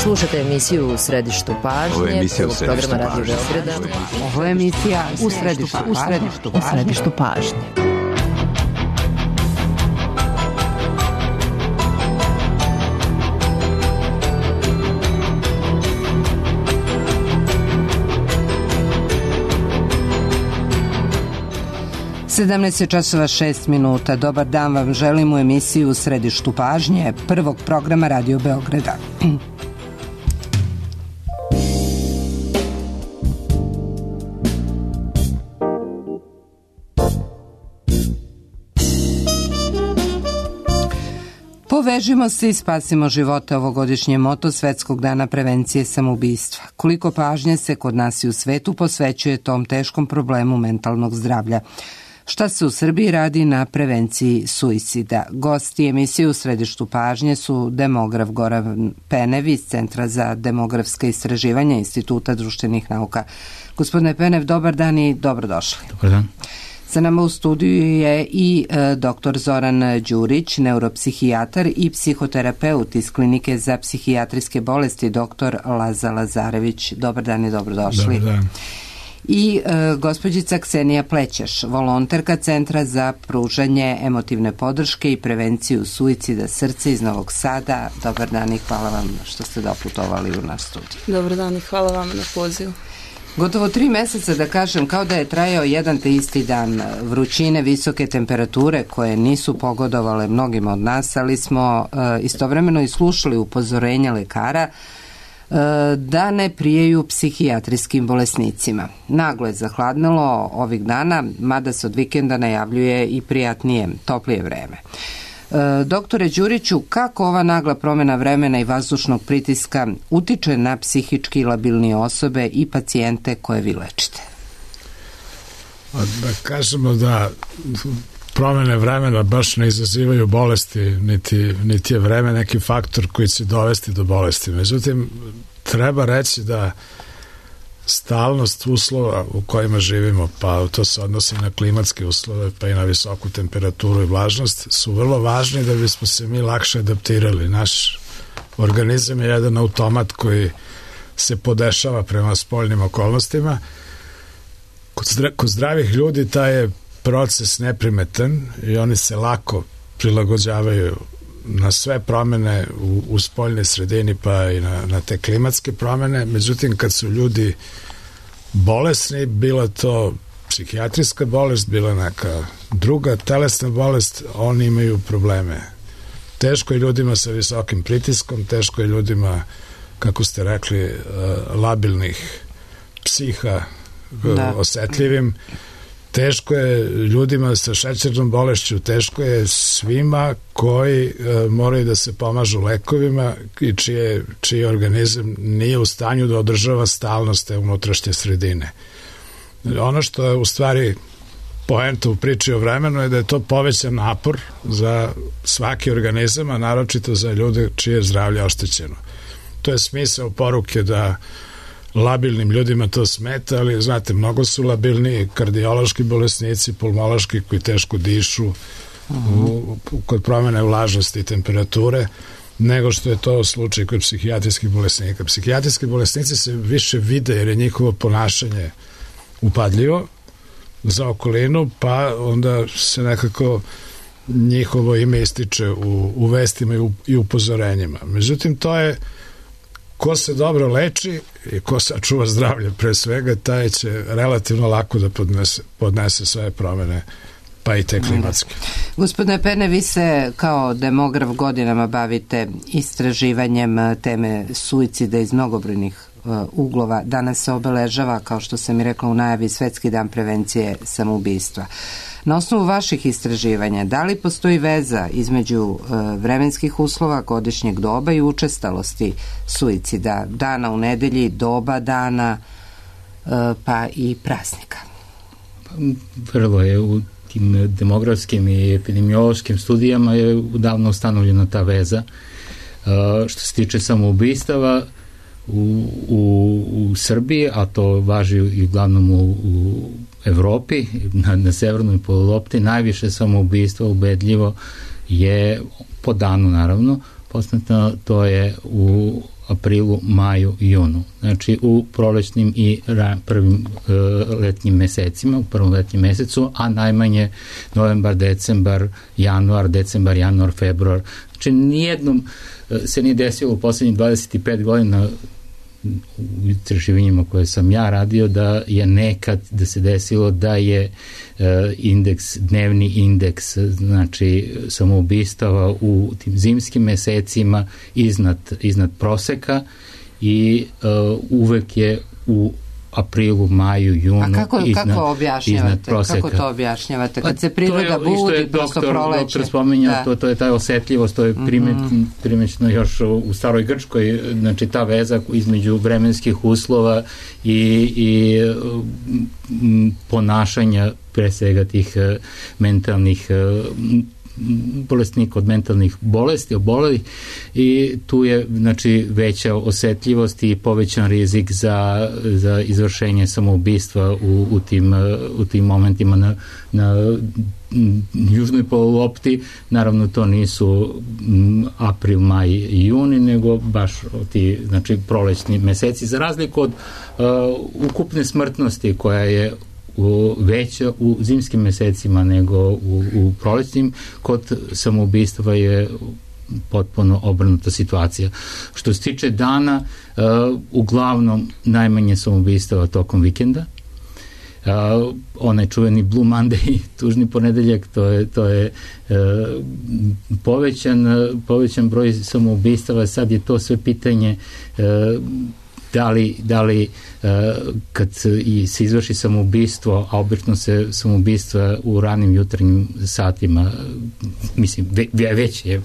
Slušate emisiju U središtu pažnje, prvog programa Radio Beograda. Ovo je emisija U središtu pažnje. časova 6 minuta. Dobar dan vam želim u emisiju U središtu pažnje, prvog programa Radio Beograda. Povežimo se i spasimo živote, ovogodišnje moto Svetskog dana prevencije samoubistva. Koliko pažnje se kod nas i u svetu posvećuje tom teškom problemu mentalnog zdravlja? Šta se u Srbiji radi na prevenciji suicida? Gosti emisije U središtu pažnje su demograf Goran Penev iz Centra za demografske istraživanja Instituta društvenih nauka. Gospodine Penev, dobar dan i dobrodošli. Dobar dan. Sa nama u studiju je i dr. Zoran Đurić, neuropsihijatar i psihoterapeut iz Klinike za psihijatrijske bolesti dr. Laza Lazarević. Dobar dan i dobrodošli. Dobar dan. I gospođica Ksenija Plećeš, volonterka Centra za pružanje emotivne podrške i prevenciju suicida srca iz Novog Sada. Dobar dan i hvala vam što ste doputovali u naš studij. Dobar dan i hvala vam na pozivu. Gotovo 3 meseca, da kažem, kao da je trajao jedan te isti dan, vrućine, visoke temperature koje nisu pogodovale mnogima od nas, ali smo istovremeno i slušali upozorenja lekara da ne prijeju psihijatrijskim bolesnicima. Naglo je zahladnilo ovih dana, mada se od vikenda najavljuje i prijatnije, toplije vreme. Doktore Đuriću, kako ova nagla promjena vremena i vazdušnog pritiska utiče na psihički labilne osobe i pacijente koje vi lečite? Da kažemo da promjene vremena baš ne izazivaju bolesti, niti je vreme neki faktor koji će dovesti do bolesti. Međutim, treba reći da stalnost uslova u kojima živimo, pa to se odnosi na klimatske uslove, pa i na visoku temperaturu i vlažnost, su vrlo važni da bismo se mi lakše adaptirali. Naš organizam je jedan automat koji se podešava prema spoljnim okolnostima. Kod zdravih ljudi taj je proces neprimetan i oni se lako prilagođavaju na sve promene u spoljnoj sredini, pa i na te klimatske promene. Međutim, kad su ljudi bolesni, bila to psihijatrijska bolest, bila neka druga telesna bolest, oni imaju probleme. Teško je ljudima sa visokim pritiskom, teško je ljudima, kako ste rekli, labilnih psiha, osetljivim. Teško je ljudima sa šećernom bolešću, teško je svima koji moraju da se pomažu lekovima i čiji organizam nije u stanju da održava stalnost te unutrašnje sredine. Ono što je u stvari poenta u priči o vremenu je da je to povećan napor za svaki organizam, a naročito za ljude čije je zdravlje oštećeno. To je smisao poruke da labilnim ljudima to smeta, ali znate, mnogo su labilni kardiološki bolesnici, pulmološki koji teško dišu kod promjene vlažnosti i temperature, nego što je to slučaj kod psihijatrijskih bolesnika. Psihijatrijski bolesnici se više vide jer je njihovo ponašanje upadljivo za okolinu, pa onda se nekako njihovo ime ističe u vestima i upozorenjima. Međutim, to je ko se dobro leči i ko sačuva zdravlje pre svega, taj će relativno lako da podnese sve promjene, pa i te klimatske. Gospodine Pene, vi se kao demograf godinama bavite istraživanjem teme suicida iz mnogobrojnih uglova. Danas se obeležava, kao što sam i rekla u najavi, Svetski dan prevencije samoubistva. Na osnovu vaših istraživanja, da li postoji veza između vremenskih uslova, godišnjeg doba i učestalosti suicida, dana u nedelji, doba dana, pa i praznika? Prvo je u tim demografskim i epidemiološkim studijama je davno ustanovljena ta veza. Što se tiče samoubistava u Srbiji, a to važi i uglavnom u Evropi, na severnoj polulopti, najviše samoubistva ubedljivo je po danu, naravno, poznato, to je u aprilu, maju i junu. Znači u prolećnim i prvim letnjim mesecima, u prvom letnjem mesecu, a najmanje novembar, decembar, januar, februar. Znači nijednom se nije desilo u poslednjih 25 godina u istraživanjima koje sam ja radio da je nekad da se desilo da je dnevni indeks, znači samoubistava u tim zimskim mesecima iznad proseka i uvek je u aprilu, maju, junu iznad proseka. Kako to objašnjavate? Kad se priroda budi, prosto proleće. Doktor spominjao, to je ta osetljivost, to je primećno još u staroj Grčkoj, znači ta veza između vremenskih uslova i ponašanja pre svega tih mentalnih bolesnika od mentalnih bolesti, obolelih, i tu je znači veća osetljivost i povećan rizik za izvršenje samoubistva u tim momentima na južnoj polulopti. Naravno to nisu april, maj i juni, nego baš ti znači prolećni meseci, za razliku od ukupne smrtnosti koja je veća u zimskim mesecima nego u prolećnim. Kod samoubistva je potpuno obrnuta situacija. Što se tiče dana, uglavnom najmanje samoubistava tokom vikenda. Onaj čuveni Blue Monday, tužni ponedeljak, to je povećan broj samoubistava. Sad je to sve pitanje da li kad se izvrši samoubistvo, a obično se samoubistva u ranim jutarnjim satima, mislim, već je,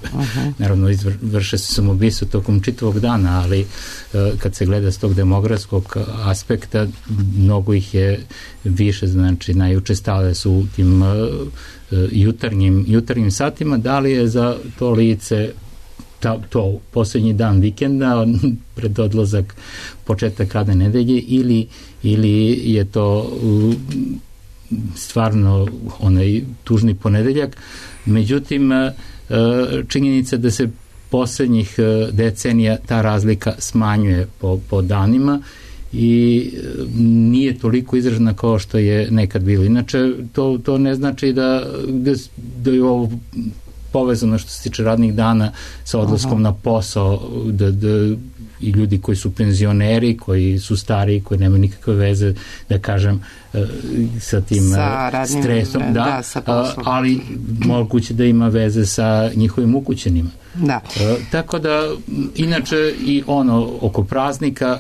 naravno vrše se samoubistvo tokom čitavog dana, ali kad se gleda s tog demografskog aspekta, mnogo ih je više, znači najučestalije su u tim jutarnjim satima. Da li je za to lice to poslednji dan vikenda, pred odlazak, početak radne nedelje, ili je to stvarno onaj tužni ponedeljak. Međutim, činjenica da se poslednjih decenija ta razlika smanjuje po danima i nije toliko izražena kao što je nekad bilo. Inače, to ne znači da je ovo povezano što se tiče radnih dana sa odlaskom na posao, da i ljudi koji su penzioneri, koji su stariji, koji nemaju nikakve veze, da kažem, sa tim stresom, ali moguće da ima veze sa njihovim ukućenima. Da. Tako da, inače i ono oko praznika,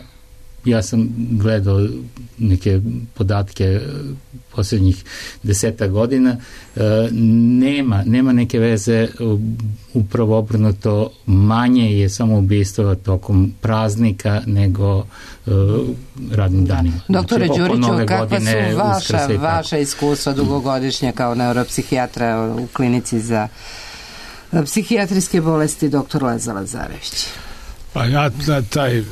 ja sam gledao neke podatke posljednjih 10 godina, nema neke veze, upravo obrnuto, manje je samoubistva tokom praznika nego radnim danima. Doktore Đuriću, kakva su vaša iskustva dugogodišnja kao neuropsihijatra u klinici za psihijatrijske bolesti dr. Leza Lazarević? Pa ja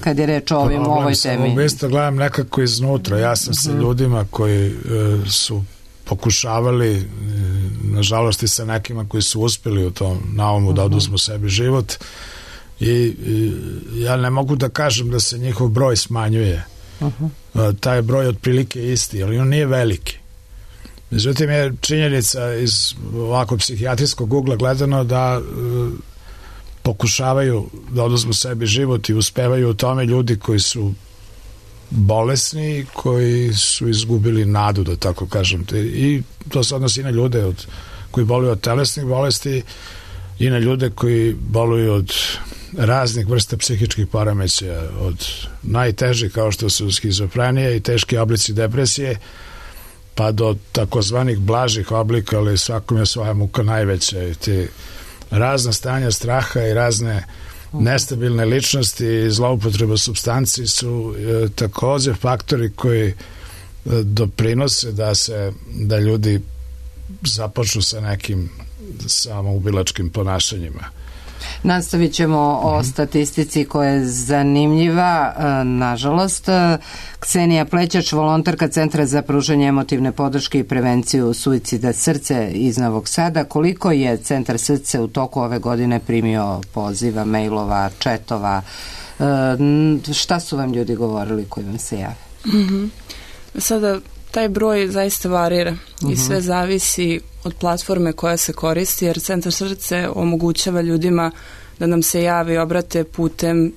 kad je reč o ovoj temi. Samoubistva gledam nekako iznutra. Ja sam sa ljudima koji su pokušavali, nažalost i sa nekima koji su uspeli u tom naumu da oduzmu sebi život, i ja ne mogu da kažem da se njihov broj smanjuje. Taj broj otprilike isti, ali on nije veliki. Međutim je činjenica iz ovako psihijatrijskog ugla gledano da pokušavaju da oduzmu sebi život i uspevaju u tome ljudi koji su bolesni, koji su izgubili nadu, da tako kažem. I to se odnosi i na ljude koji boluju od telesnih bolesti i na ljude koji boluju od raznih vrsta psihičkih poremećaja, od najtežih kao što su skizofrenija i teški oblici depresije, pa do takozvanih blažih oblika, ali svakom je svoja muka najveća, i ti razna stanja straha i razne nestabilne ličnosti i zloupotreba supstanci su takođe faktori koji doprinose da ljudi započnu sa nekim samoubilačkim ponašanjima. Nastavit ćemo o statistici koja je zanimljiva, nažalost. Ksenija Plećač, volonterka Centra za pružanje emotivne podrške i prevenciju suicida Srce iz Novog Sada. Koliko je Centar Srce u toku ove godine primio poziva, mailova, četova? Šta su vam ljudi govorili koji vam se jave? Sada taj broj zaista varira i sve zavisi od platforme koja se koristi, jer Centar Srce omogućava ljudima da nam se jave i obrate putem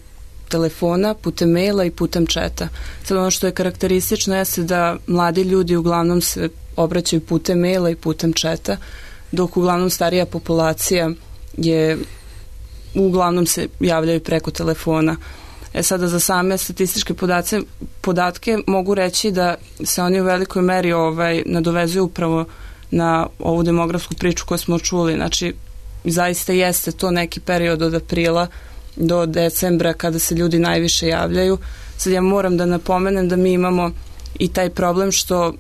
telefona, putem maila i putem četa. Sad ono što je karakteristično jeste da mladi ljudi uglavnom se obraćaju putem maila i putem četa, dok uglavnom starija populacija uglavnom se javljaju preko telefona. Sada za same statističke podatke mogu reći da se oni u velikoj meri nadovezuju upravo na ovu demografsku priču koju smo čuli. Znači, zaista jeste to neki period od aprila do decembra kada se ljudi najviše javljaju. Sad ja moram da napomenem da mi imamo i taj problem što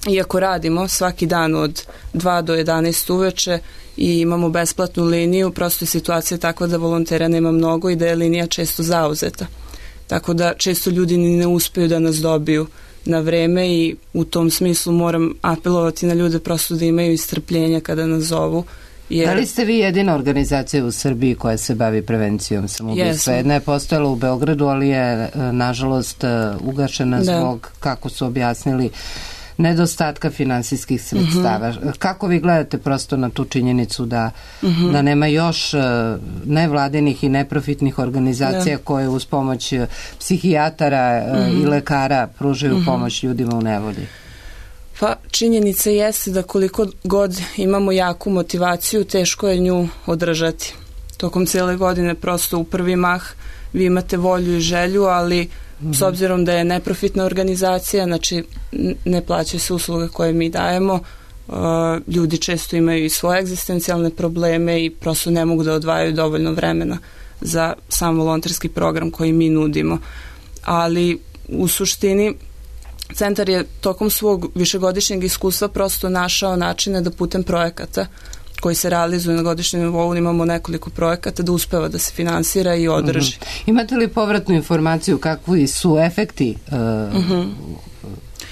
iako radimo svaki dan od 2 do 11 uveče i imamo besplatnu liniju, prosto je situacija takva da volontera nema mnogo i da je linija često zauzeta. Tako da često ljudi ni ne uspeju da nas dobiju na vreme i u tom smislu moram apelovati na ljude prosto da imaju strpljenja kada nas zovu. Da li ste vi jedina organizacija u Srbiji koja se bavi prevencijom samoubistva? Jedna je postojala u Beogradu, ali je nažalost ugašena zbog, kako su objasnili, nedostatka finansijskih sredstava. Kako vi gledate prosto na tu činjenicu da nema još nevladinih i neprofitnih organizacija koje uz pomoć psihijatara i lekara pružaju pomoć ljudima u nevolji? Pa činjenica jeste da koliko god imamo jaku motivaciju, teško je nju održati. Tokom cijele godine prosto u prvi mah vi imate volju i želju, ali s obzirom da je neprofitna organizacija, znači ne plaćaju se usluge koje mi dajemo, ljudi često imaju i svoje egzistencijalne probleme i prosto ne mogu da odvajaju dovoljno vremena za sam volonterski program koji mi nudimo. Ali u suštini centar je tokom svog višegodišnjeg iskustva prosto našao načine da putem projekata koji se realizuju na godišnjem nivou, imamo nekoliko projekata da uspeva da se finansira i održi. Imate li povratnu informaciju kakvi su efekti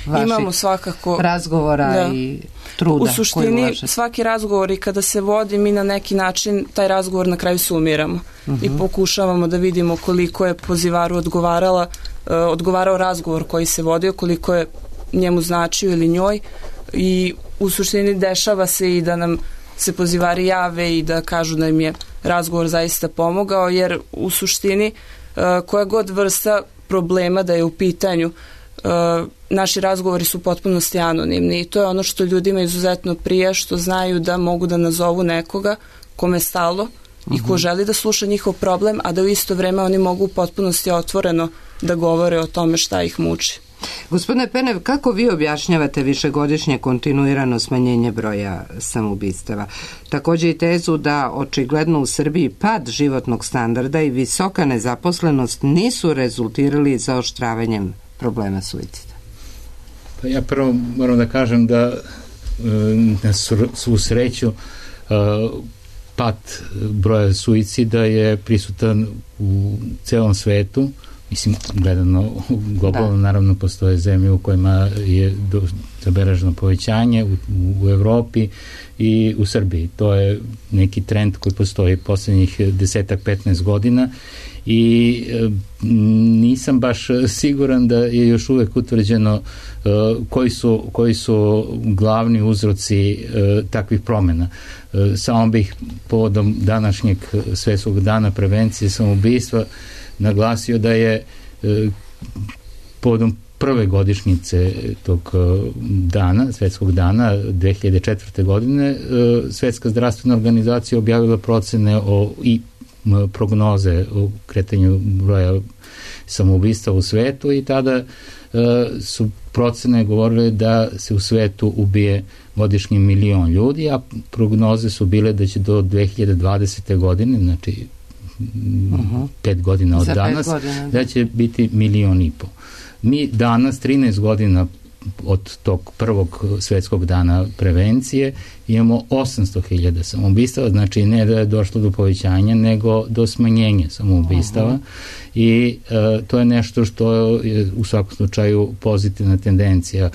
vaših imamo svakako razgovora i truda? U suštini svaki razgovor i kada se vodi mi na neki način taj razgovor na kraju sumiramo i pokušavamo da vidimo koliko je pozivaru odgovarao razgovor koji se vodio, koliko je njemu značio ili njoj i u suštini dešava se i da nam se pozivari jave i da kažu da im je razgovor zaista pomogao, jer u suštini koja god vrsta problema da je u pitanju, naši razgovori su potpunosti anonimni i to je ono što ljudima izuzetno prija, što znaju da mogu da nazovu nekoga kome je stalo i ko želi da sluša njihov problem, a da u isto vreme oni mogu u potpunosti otvoreno da govore o tome šta ih muči. Gospodine Penev, kako vi objašnjavate višegodišnje kontinuirano smanjenje broja samoubistava? Također i tezu da očigledno u Srbiji pad životnog standarda i visoka nezaposlenost nisu rezultirali zaoštravanjem problema suicida. Pa ja prvo moram da kažem da na svu sreću pad broja suicida je prisutan u celom svetu. Mislim, gledano globalno, naravno postoje zemlje u kojima je zabeleženo povećanje u Evropi i u Srbiji. To je neki trend koji postoji poslednjih 10-15 godina i nisam baš siguran da je još uvek utvrđeno koji su glavni uzroci takvih promena. Samo bih povodom današnjeg Svetskog dana prevencije samoubistva naglasio da je povodom prve godišnjice tog dana, Svetskog dana 2004. godine, Svetska zdravstvena organizacija objavila procene i prognoze o kretanju broja samoubistva u svetu i tada su procene govorile da se u svetu ubije godišnje 1 milion ljudi, a prognoze su bile da će do 2020. godine, znači 5 godina od danas, da će biti 1,5 miliona. Mi danas, 13 godina od tog prvog svetskog dana prevencije imamo 800.000 samoubistava, znači ne da je došlo do povećanja, nego do smanjenja samoubistava i to je nešto što je u svakom slučaju pozitivna tendencija.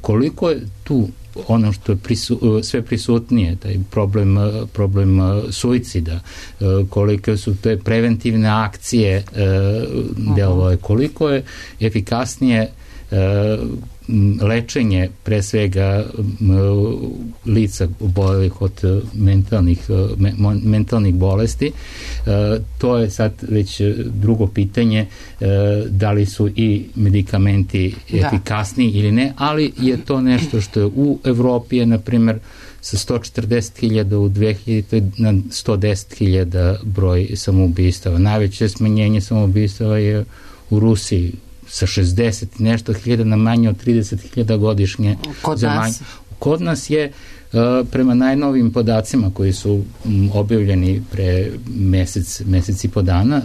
Koliko je tu ono što je sve prisutnije, taj problem suicida, koliko su te preventivne akcije delovale, koliko je efikasnije lečenje pre svega lica obolelih od mentalnih bolesti. To je sad već drugo pitanje, da li su i medikamenti efikasniji ili ne, ali je to nešto što je u Evropi je, na primjer, sa 140.000 u 2000 na 110.000 broj samoubistava. Najveće smanjenje samoubistava je u Rusiji, sa 60 nešto hiljada na manje od 30.000 godišnje. Kod nas je prema najnovim podacima koji su objavljeni pre mesec i po dana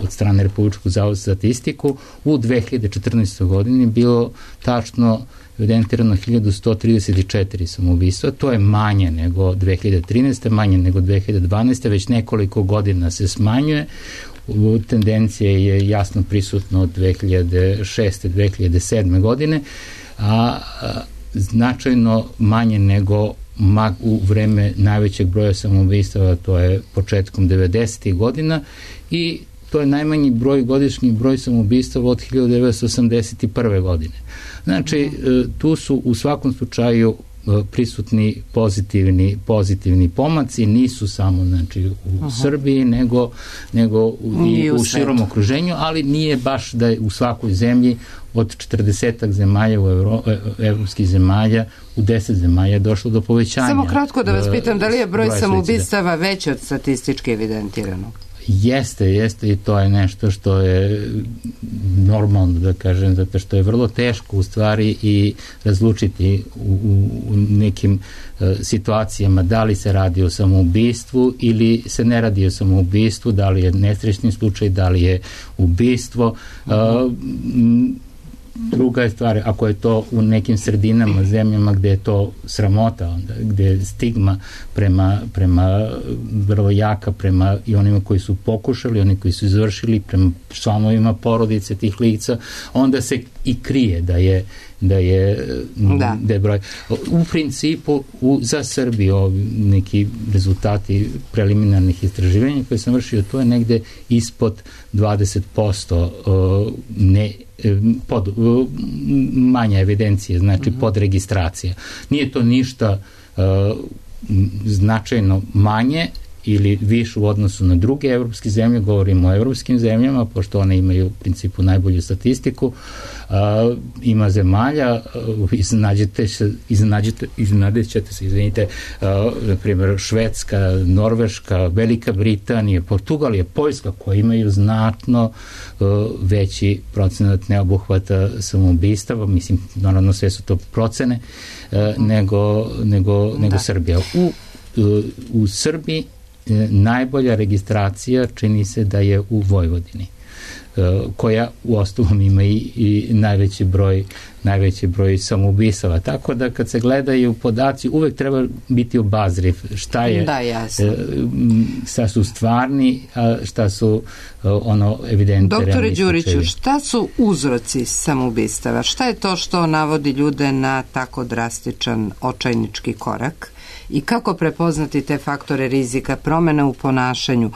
od strane Republičkog zavoda za statistiku, u 2014. godini bilo tačno evidentirano 1134 samoubistva. To je manje nego 2013. manje nego 2012. Već nekoliko godina se smanjuje. Tendencija je jasno prisutna od 2006. 2007. godine, a značajno manje nego u vreme najvećeg broja samoubistava, to je početkom 90. godina, i to je najmanji godišnji broj samoubistava od 1981. godine. Znači, tu su u svakom slučaju prisutni pozitivni pomaci, nisu samo u Srbiji, nego i u širom okruženju, ali nije baš da je u svakoj zemlji od 40 zemalja evropskih zemalja u 10 zemalja je došlo do povećanja. Samo kratko da vas pitam, da li je broj samoubistava veći od statistički evidentiranog? Jeste i to je nešto što je normalno, da kažem, zato što je vrlo teško u stvari i razlučiti u nekim situacijama da li se radi o samoubistvu ili se ne radi o samoubistvu, da li je nesrećni slučaj, da li je ubistvo. Druga je stvar, ako je to u nekim sredinama, zemljama gde je to sramota, onda, gde je stigma prema vrlo jaka, prema i onima koji su pokušali, oni koji su izvršili, prema članovima porodice tih lica, onda se i krije da je broj. U principu, za Srbiju neki rezultati preliminarnih istraživanja koje sam vršio, to je negde ispod 20% manja evidencije, znači podregistracija. Nije to ništa značajno manje ili više u odnosu na druge evropske zemlje, govorimo o evropskim zemljama, pošto one imaju u principu najbolju statistiku. Ima zemalja, iznenađet ćete se, na primjer Švedska, Norveška, Velika Britanija, Portugalija, Poljska, koji imaju znatno veći procenat neobuhvata samoubistava, mislim, naravno sve su to procene, nego Srbija. U Srbiji najbolja registracija čini se da je u Vojvodini, koja u osnovom ima i najveći broj samoubistava. Tako da kad se gledaju podaci, uvek treba biti obazriv šta su stvarni, a šta su evidentni. Doktore Đuriću, šta su uzroci samoubistava? Šta je to što navodi ljude na tako drastičan očajnički korak? I kako prepoznati te faktore rizika, promene u ponašanju?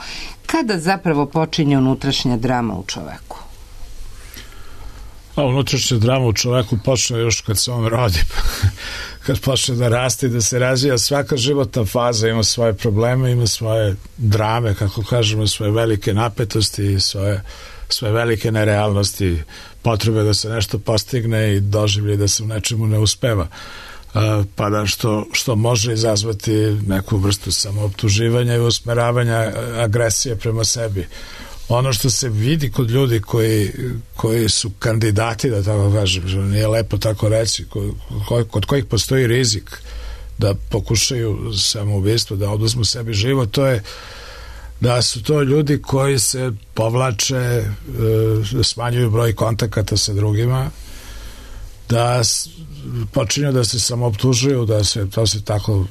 Kada zapravo počinje unutrašnja drama u čoveku? Unutrašnja drama u čoveku počne još kad se on rodi, kad počne da raste i da se razvija. Svaka životna faza ima svoje probleme, ima svoje drame, kako kažemo, svoje velike napetosti i svoje velike nerealnosti, potrebe da se nešto postigne i doživlje da se u nečemu ne uspeva. Pa da što može izazvati neku vrstu samooptuživanja i usmeravanja agresije prema sebi. Ono što se vidi kod ljudi koji su kandidati, da tako kažem, nije lepo tako reći, kod kojih postoji rizik da pokušaju samoubistvo, da oduzmu sebi život, to je da su to ljudi koji se povlače, smanjuju broj kontakata sa drugima, da počinju da se samooptužuju, to se tako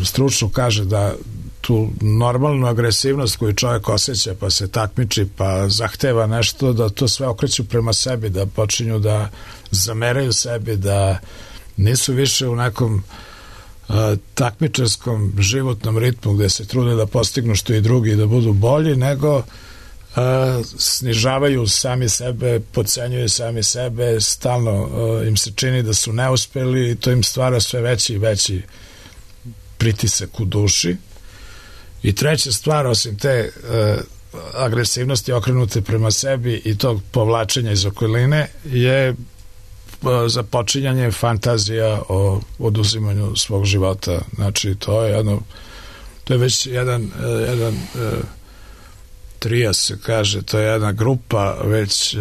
stručno kaže, da tu normalnu agresivnost koju čovjek osjeća, pa se takmiči, pa zahteva nešto, da to sve okreću prema sebi, da počinju da zameraju sebi, da nisu više u nekom takmičarskom životnom ritmu gde se trude da postignu što i drugi i da budu bolji, nego snižavaju sami sebe, podcenjuju sami sebe, stalno im se čini da su neuspeli i to im stvara sve veći i veći pritisak u duši. I treća stvar, osim te agresivnosti okrenute prema sebi i tog povlačenja iz okoline, je započinjanje fantazija o oduzimanju svog života. Znači, to je već jedan trijas, se kaže, to je jedna grupa već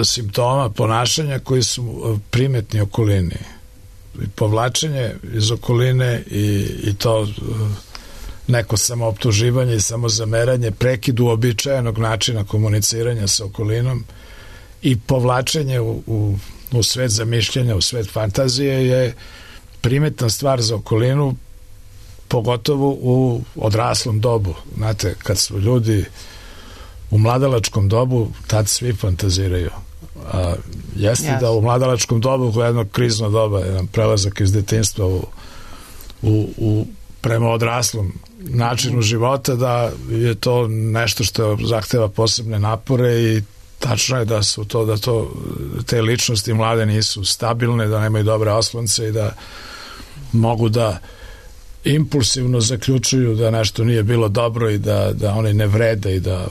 simptoma ponašanja koji su primetni okolini. Povlačenje iz okoline i to neko samooptuživanje i samozameranje, prekid uobičajenog načina komuniciranja sa okolinom i povlačenje u svet zamišljanja, u svet fantazije je primetna stvar za okolinu, pogotovo u odraslom dobu. Znate, kad su ljudi u mladalačkom dobu, tad svi fantaziraju. Jeste da u mladalačkom dobu, u jedno krizno doba, jedan prelazak iz detinjstva prema odraslom načinu života, da je to nešto što zahteva posebne napore i tačno je da te ličnosti mlade nisu stabilne, da nemaju dobre oslonce i da mogu da impulsivno zaključuju da nešto nije bilo dobro i da oni ne vrede i da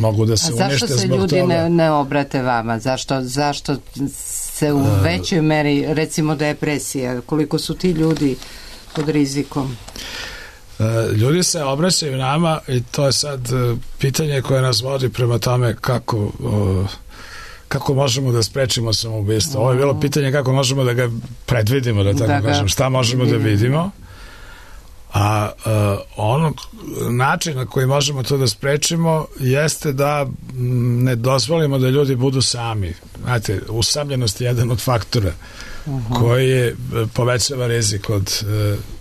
mogu da se unište zbog toga. A zašto se ljudi ne obrate vama? Zašto se u većoj meri, recimo depresija, koliko su ti ljudi pod rizikom? Ljudi se obraćaju nama i to je sad pitanje koje nas vodi prema tome kako možemo da sprečimo samoubistvo. Ovo je bilo pitanje kako možemo da ga predvidimo, da tako kažem, šta možemo da vidimo. A onog načina koji možemo to da sprečimo jeste da ne dozvolimo da ljudi budu sami. Znate, usamljenost je jedan od faktora koji povećava rizik od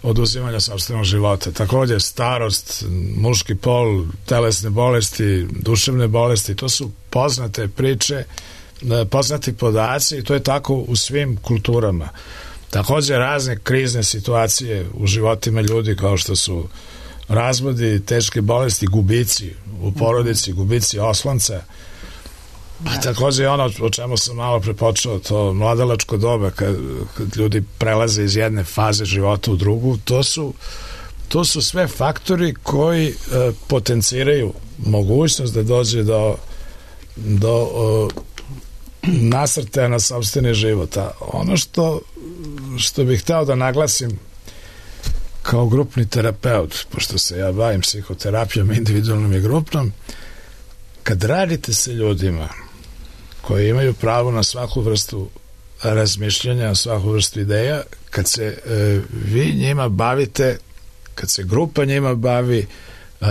oduzimanja sopstvenog života. Također starost, muški pol, telesne bolesti, duševne bolesti, to su poznate priče, poznati podaci i to je tako u svim kulturama. Također razne krizne situacije u životima ljudi kao što su razvodi, teške bolesti, gubici u porodici, gubici oslonca. A također ono o čemu sam malo prepočeo, to mladalačko doba kad ljudi prelaze iz jedne faze života u drugu, to su sve faktori koji potenciraju mogućnost da dođe do nasrtaja na sopstveni život. A ono što bih hteo da naglasim kao grupni terapeut, pošto se ja bavim psihoterapijom individualnom i grupnom, kad radite sa ljudima koji imaju pravo na svaku vrstu razmišljanja, na svaku vrstu ideja, kad se vi njima bavite, kad se grupa njima bavi,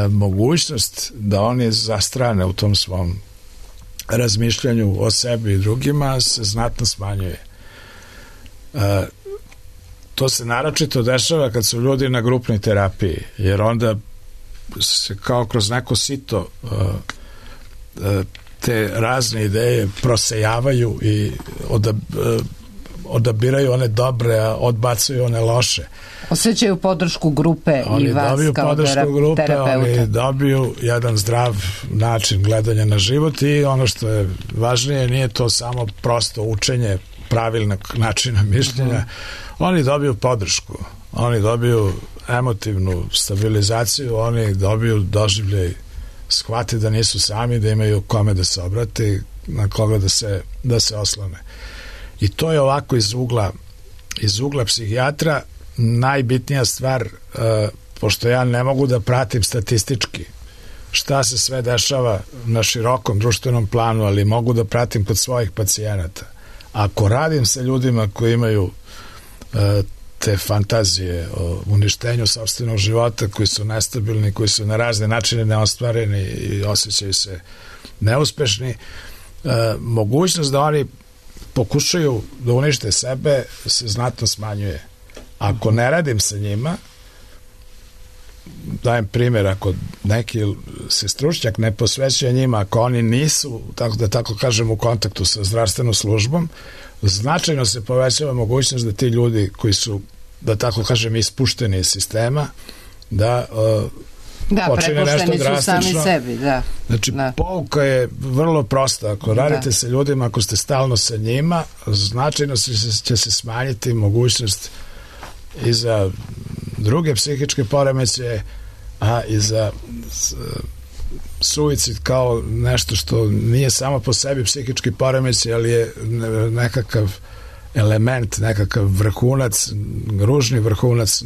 mogućnost da oni zastrane u tom svom razmišljanju o sebi i drugima se znatno smanjuje. To se naročito dešava kad su ljudi na grupnoj terapiji, jer onda se kao kroz neko sito te razne ideje prosejavaju i odabiraju one dobre, a odbacuju one loše. Osjećaju podršku grupe i vas kao terapeuta. Oni dobiju jedan zdrav način gledanja na život i ono što je važnije, nije to samo prosto učenje pravilnog načina mišljenja. Oni dobiju podršku, oni dobiju emotivnu stabilizaciju, oni dobiju doživljaj, shvate da nisu sami, da imaju kome da se obrate, na koga da se oslone. I to je ovako iz ugla psihijatra najbitnija stvar, pošto ja ne mogu da pratim statistički šta se sve dešava na širokom društvenom planu, ali mogu da pratim kod svojih pacijenata. Ako radim sa ljudima koji imaju te fantazije o uništenju sopstvenog života, koji su nestabilni, koji su na razne načine neostvareni i osjećaju se neuspešni, mogućnost da oni pokušaju da unište sebe se znatno smanjuje. Ako ne radim sa njima, dajem primjer, ako neki se stručnjak ne posvećuje njima, ako oni nisu, tako da tako kažem, u kontaktu sa zdravstvenom službom, značajno se povećava mogućnost da ti ljudi koji su, da tako kažem, ispušteni iz sistema, da počine nešto drastično. Sebi, da. Znači, pouka je vrlo prosta. Ako radite sa ljudima, ako ste stalno sa njima, značajno će se smanjiti mogućnost i za druge psihičke poremećaje, a i za suicid kao nešto što nije samo po sebi psihički poremećaj, ali je nekakav element, nekakav vrhunac, ružni vrhunac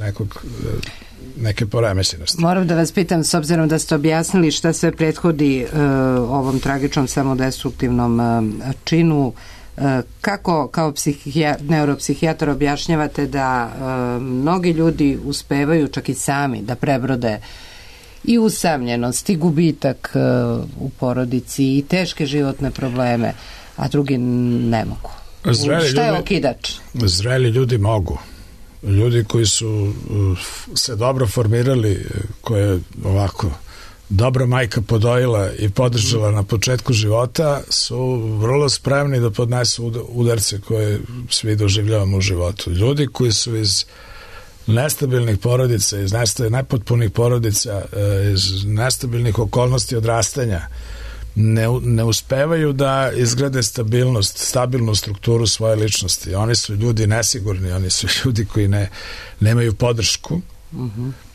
neke poremećenosti. Moram da vas pitam, s obzirom da ste objasnili šta sve prethodi ovom tragičnom samodestruktivnom činu, kako kao neuropsihijatar objašnjavate da mnogi ljudi uspevaju čak i sami da prebrode i usamljenost i gubitak u porodici i teške životne probleme, a drugi ne mogu? Šta je okidač? Zreli ljudi mogu. Ljudi koji su se dobro formirali, koje ovako dobra majka podojila i podržala na početku života, su vrlo spremni da podnesu udarce koje svi doživljavamo u životu. Ljudi koji su iz nestabilnih porodica, iz nepotpunih porodica, iz nestabilnih okolnosti odrastanja, ne uspevaju da izgrade stabilnu strukturu svoje ličnosti. Oni su ljudi nesigurni, oni su ljudi koji nemaju podršku.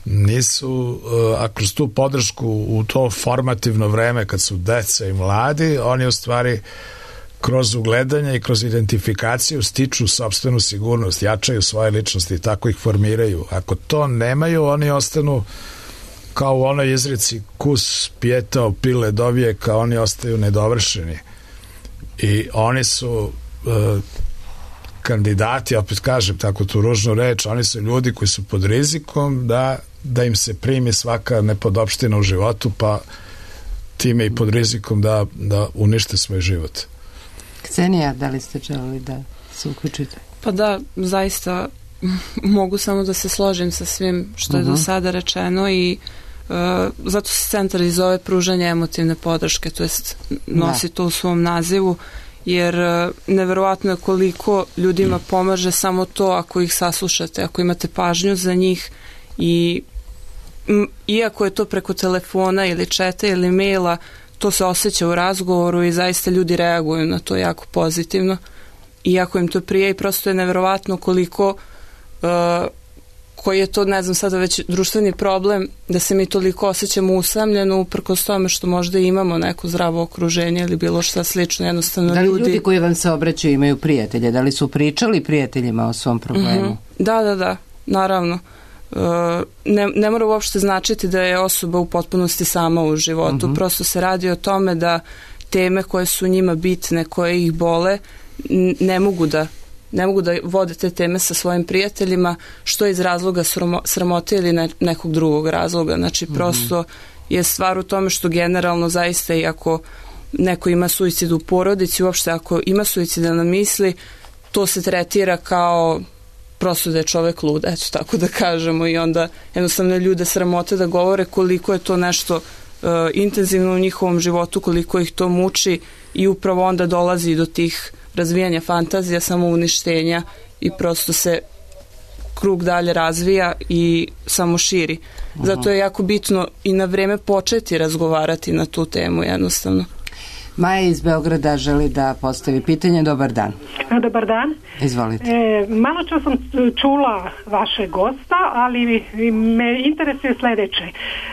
Nisu, a kroz tu podršku u to formativno vreme kad su deca i mladi, oni u stvari kroz ugledanje i kroz identifikaciju stiču sopstvenu sigurnost, jačaju svoje ličnosti i tako ih formiraju. Ako to nemaju, oni ostanu kao u onoj izreci kus pijetao pile do vijeka, oni ostaju nedovršeni. I oni su kandidati, opet kažem tako tu ružnu reč, oni su ljudi koji su pod rizikom da im se primi svaka nepodopština u životu, pa time i pod rizikom da unište svoj život. Ksenija, da li ste želeli da se uključite? Pa da, zaista mogu samo da se složim sa svim što je do sada rečeno i zato se centar i zove pružanje emotivne podrške, to jest nosi to u svom nazivu, jer neverovatno je koliko ljudima pomaže samo to ako ih saslušate, ako imate pažnju za njih i iako je to preko telefona ili četa ili maila, to se osjeća u razgovoru i zaista ljudi reaguju na to jako pozitivno. Iako im to prije i prosto je neverovatno koliko koji je to, ne znam sada već društveni problem, da se mi toliko osjećamo usamljeno uprkos tome što možda imamo neko zdravo okruženje ili bilo šta slično, jednostavno da li ljudi koji vam se obraćaju imaju prijatelje? Da li su pričali prijateljima o svom problemu? Da, naravno. Ne mora uopšte značiti da je osoba u potpunosti sama u životu, prosto se radi o tome da teme koje su njima bitne, koje ih bole, ne mogu da vode te teme sa svojim prijateljima, što iz razloga sramote ili nekog drugog razloga. Znači, prosto je stvar u tome što generalno zaista i ako neko ima suicid u porodici, uopšte ako ima suicidan misli, to se tretira kao prosto da je čovek lud, eto tako da kažemo, i onda jednostavno ljude sramote da govore koliko je to nešto intenzivno u njihovom životu, koliko ih to muči i upravo onda dolazi do tih razvijanja fantazija, samouništenja i prosto se krug dalje razvija i samo širi. Zato je jako bitno i na vreme početi razgovarati na tu temu jednostavno. Maja iz Beograda želi da postavi pitanje. Dobar dan. Dobar dan. Izvolite. Malo čas sam čula vašeg gosta, ali me interesuje sledeće.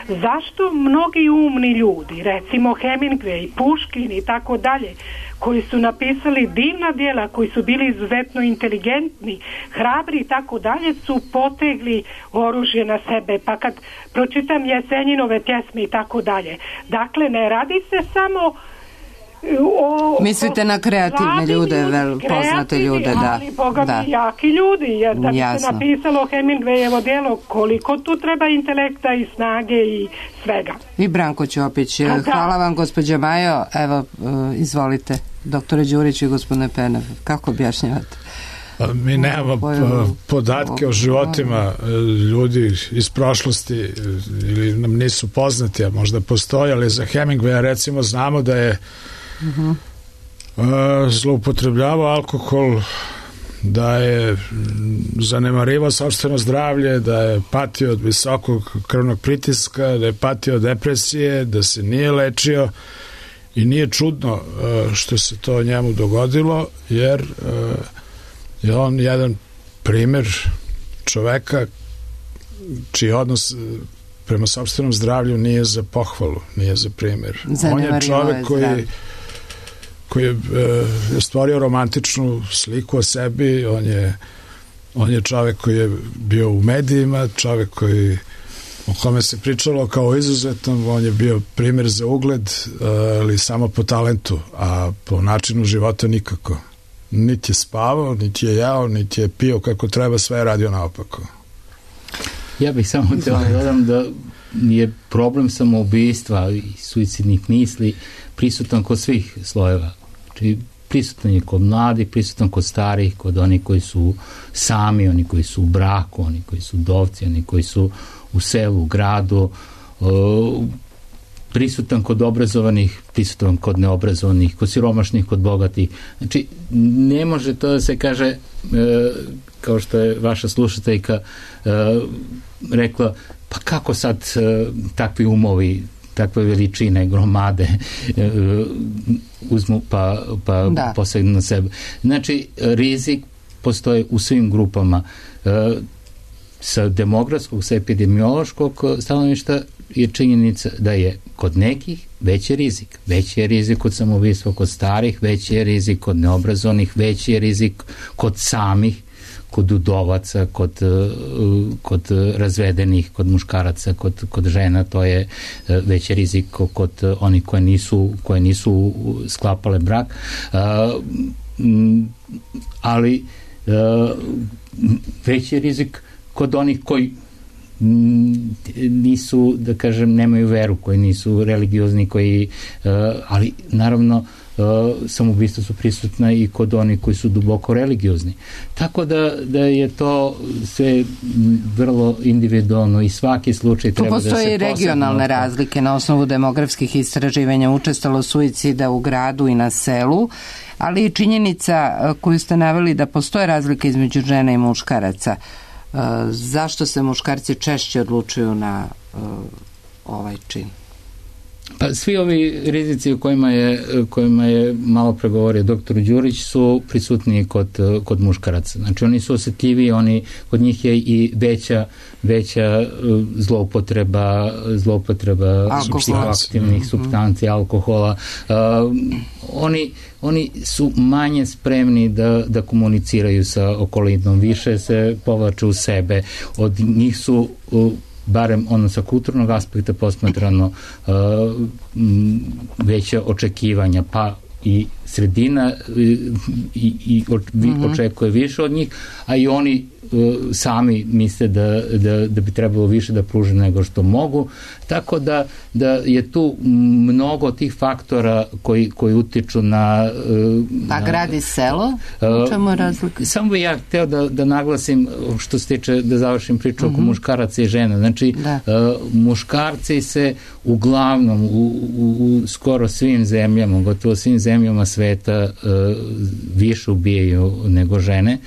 Zašto mnogi umni ljudi, recimo Hemingway, Puškin i tako dalje, koji su napisali divna djela, koji su bili izuzetno inteligentni, hrabri i tako dalje, su potegli oružje na sebe. Pa kad pročitam Jesenjinove pjesme i tako dalje. Dakle, ne radi se samo Mislite na kreativne ljude, poznate ljude, da. Ali boga mi jaki ljudi, jer da bi se napisalo Hemingwayevo djelo, koliko tu treba intelekta i snage i svega. I Branko Ćopić, hvala vam gospođa Majo, evo izvolite, doktore Đurić i gospodine Penev, kako objašnjavate? Mi nemamo podatke o životima ljudi iz prošlosti ili nam nisu poznati, a možda postoje, ali za Hemingwaya recimo znamo da je zloupotrebljavao alkohol, da je zanemarivao sopstveno zdravlje, da je patio od visokog krvnog pritiska, da je patio od depresije, da se nije lečio i nije čudno što se to njemu dogodilo, jer je on jedan primer čoveka čiji odnos prema sopstvenom zdravlju nije za pohvalu, nije za primer. On je čovek koji je stvorio romantičnu sliku o sebi, on je čovek koji je bio u medijima, čovek o kome se pričalo kao izuzetnom, on je bio primer za ugled, ali samo po talentu, a po načinu života nikako. Niti je spavao, niti je jeo, niti je pio kako treba, sve je radio naopako. Ja bih samo htio da dodam da je problem samoubistva i suicidnih misli prisutan kod svih slojeva. Znači, prisutan je kod mladih, prisutan kod starih, kod onih koji su sami, oni koji su u braku, oni koji su udovci, oni koji su u selu, u gradu, prisutan kod obrazovanih, prisutan kod neobrazovanih, kod siromašnih, kod bogatih. Znači, ne može to da se kaže, kao što je vaša slušateljka rekla, pa kako sad takvi umovi, takve veličine, gromade uzmu pa posegnu na sebe. Znači, rizik postoji u svim grupama. Sa demografskog, sa epidemiološkog stanovišta je činjenica da je kod nekih veći rizik. Veći je rizik kod samoubistva kod starih, veći je rizik kod neobrazovanih, veći je rizik kod samih, kod udovaca, kod razvedenih, kod muškaraca, kod žena, to je veći rizik kod onih koje nisu sklapale brak. Ali veći je rizik kod onih koji nisu, da kažem, nemaju veru, koji nisu religiozni, ali naravno samoubistva su prisutna i kod onih koji su duboko religiozni. Tako da je to sve vrlo individualno i svaki slučaj treba da se posebno... Tu postoje regionalne razlike na osnovu demografskih istraživanja, učestalo suicida u gradu i na selu, ali i činjenica koju ste naveli da postoje razlike između žena i muškaraca. Zašto se muškarci češće odlučuju na ovaj čin? Pa svi ovi rizici o kojima je malo pregovorio doktor Đurić su prisutniji kod muškaraca. Znači oni su osjetljiviji, kod njih je i veća zloupotreba psihoaktivnih supstanci, alkohola. Oni su manje spremni da komuniciraju sa okolinom, više se povlače u sebe. Od njih su barem sa kulturnog aspekta posmatrano veća očekivanja, pa i sredina očekuje više od njih, a i oni sami misle da bi trebalo više da pruže nego što mogu, tako da je tu mnogo tih faktora koji utiču na... Pa grad i selo? U čemu je razlika? Samo bih ja hteo da naglasim, što se tiče, da završim priču oko muškaraca i žena. Znači, muškarci se uglavnom u skoro svim zemljama, gotovo svim zemljama sveta više ubijaju nego žene.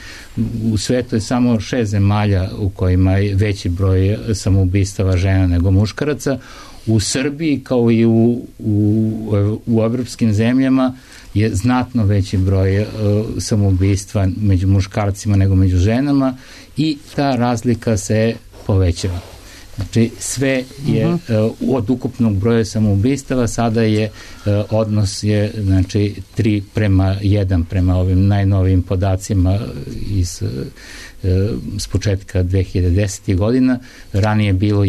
U svetu je samo 6 zemalja u kojima je veći broj samoubistava žena nego muškaraca. U Srbiji, kao i u evropskim zemljama, je znatno veći broj samoubistva među muškarcima nego među ženama i ta razlika se povećava. Znači, sve je od ukupnog broja samoubistava, sada je odnos je, znači, 3:1 prema ovim najnovijim podacima iz s početka 2010. godina. Ranije bilo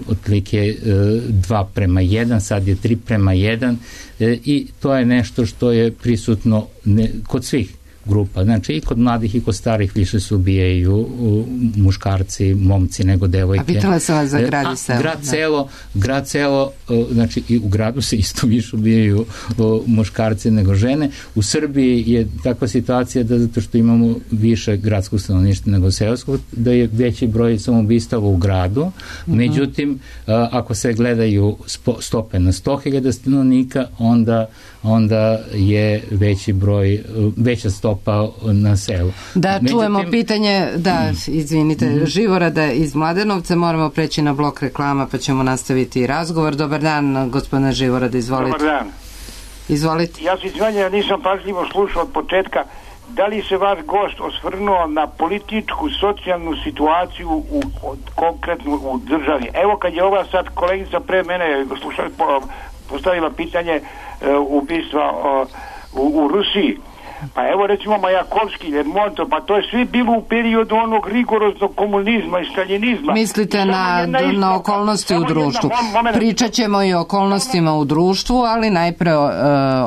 otprilike 2:1, sad je 3:1 i to je nešto što je prisutno kod svih grupa. Znači i kod mladih i kod starih više se ubijaju muškarci, momci nego devojke. A pitala sam vas za grad i selo. Grad selo, znači i u gradu se isto više ubijaju muškarci nego žene. U Srbiji je takva situacija da zato što imamo više gradskog stanovništva nego seoskog, da je veći broj samoubistava u gradu. Međutim, ako se gledaju stope na 100.000 stanovnika, onda je veća stopa na selu. Da, čujemo pitanje, izvinite, Živorada iz Mladenovca, moramo preći na blok reklama pa ćemo nastaviti razgovor. Dobar dan, gospodine Živorada, izvolite. Dobar dan. Izvolite. Ja se izvanjam, nisam pažljivo slušao od početka. Da li se vaš gost osvrnuo na političku, socijalnu situaciju konkretno u državi? Evo kad je ova sad kolegica pre mene postavila pitanje ubistva u Rusiji. Pa evo recimo Majakovski, Lermontov, pa to je svi bilo u periodu onog rigoroznog komunizma i staljinizma. Mislite na okolnosti u društvu. Pričat ćemo i o okolnostima u društvu, ali najpre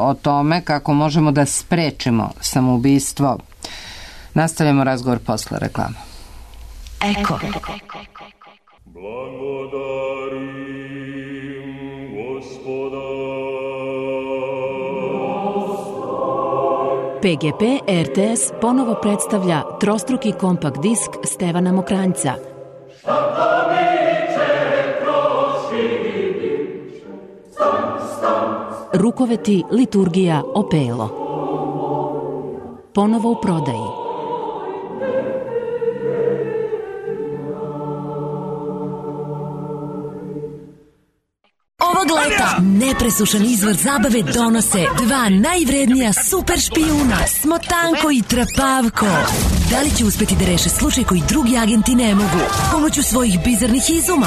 o tome kako možemo da sprečimo samoubistvo. Nastavljamo razgovor posle reklama. Eko. Blagodarim Gospoda. PGP RTS ponovo predstavlja trostruki kompakt disk Stevana Mokranjca. Rukoveti, liturgija, opelo. Ponovo u prodaji. Ovog leta nepresušan izvor zabave donose dva najvrednija super špijuna, Smotanko i Trapavko. Da li će uspeti da reše slučaj koji drugi agenti ne mogu? Pomoću svojih bizarnih izuma.